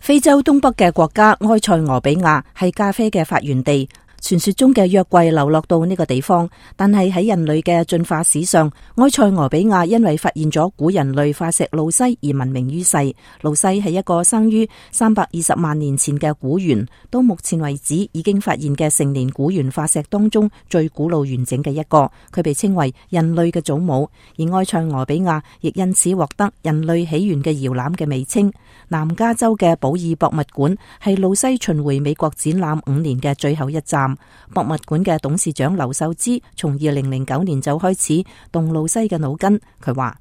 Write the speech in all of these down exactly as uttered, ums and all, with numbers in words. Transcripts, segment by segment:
非洲東北嘅國家埃塞俄比亞係咖啡嘅發源地。傳說中嘅約櫃流落到呢個地方，但係喺人類嘅進化史上，埃塞俄比亞因為發現咗古人類化石路西而聞名於世。路西係一個生於三百二十萬年前嘅古猿，到目前為止已經發現嘅成年古猿化石當中最古老完整嘅一個。佢被稱為人類嘅祖母，而埃塞俄比亞亦因此獲得人類起源嘅搖籃嘅美稱。南加州嘅保爾博物館係路西巡迴美國展覽五年嘅最後一站。博物館嘅董事長劉秀芝從二零零九年就開始動路西嘅腦筋。佢話：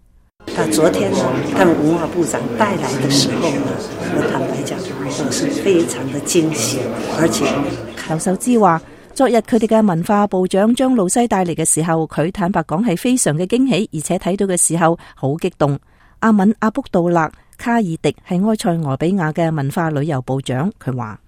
他昨天呢，他們文化部長帶來的時候呢，我坦白講，我是非常的驚喜，而且劉秀芝話，昨日佢哋嘅文化部長將路西帶嚟嘅時候，佢坦白講係非常嘅驚喜，而且睇到嘅時候好激動。阿敏阿卜杜勒卡爾迪係埃塞俄比亞嘅文化旅遊部長，佢話。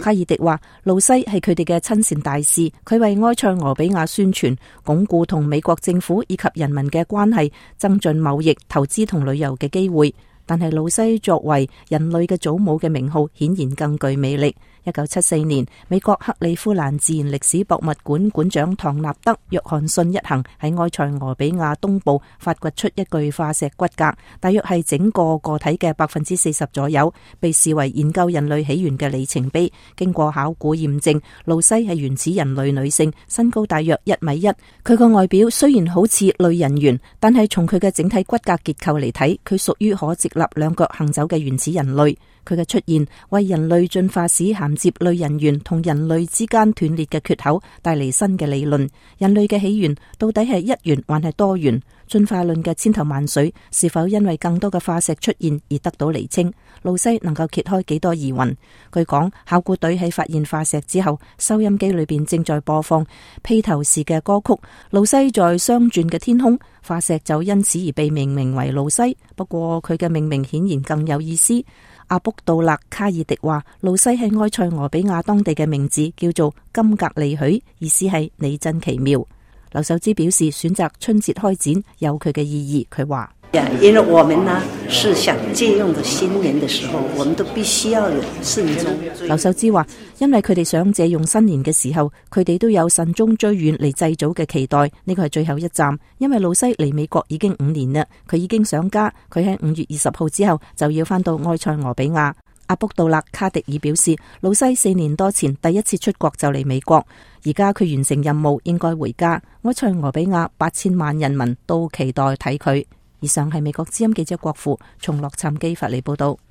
卡爾迪話：路西係佢哋嘅親善大使，佢為埃塞俄比亞宣傳、鞏固同美國政府以及人民嘅關係，增進貿易、投資同旅遊嘅機會。但係路西作為人類嘅祖母嘅名號，顯然更具魅力。一九七四年，美國克利夫蘭自然歷史博物館館長唐納德·約翰遜一行喺埃塞俄比亞東部發掘出一具化石骨骼，大約係整個個體嘅百分之四十左右，被視為研究人類起源嘅里程碑。經過考古驗證，路西係原始人類女性，身高大約一米一。佢個外表雖然好似類人猿，但係從佢嘅整體骨骼結構嚟睇，佢屬於可直立兩腳行走嘅原始人類。佢嘅出現為人類進化史銜接類人猿同人類之間斷裂嘅缺口帶嚟新嘅理論。人類嘅起源到底係一元還係多元？進化論嘅千頭萬緒是否因為更多嘅化石出現而得到釐清？路西能夠揭開幾多疑雲？據講，考古隊喺發現化石之後，收音機裏邊正在播放披頭士嘅歌曲《路西在雙轉嘅天空》，化石就因此而被命名為路西。不過佢嘅命名顯然更有意思。阿卜杜勒卡爾迪話，路西係埃塞俄比亞當地嘅名字，叫做金格利許，意思係你真奇妙。劉秀芝表示，選擇春節開展有佢嘅意義。佢話：因為我們呢是想借用的新年的時候，我們都必須要有慎終。劉秀芝話，因為佢哋想借用新年嘅時候，佢哋都有慎終追遠嚟祭祖嘅期待。呢個係最後一站，因為路西嚟美國已經五年啦，佢已經想家，佢喺五月二十號之後就要返到埃塞俄比亞。阿卜杜勒卡迪爾表示，路西四年多前第一次出國就嚟美國，而家佢完成任務應該回家。埃塞俄比亞八千萬人民都期待睇佢。以上係美國之音記者郭富從洛杉磯發嚟報道。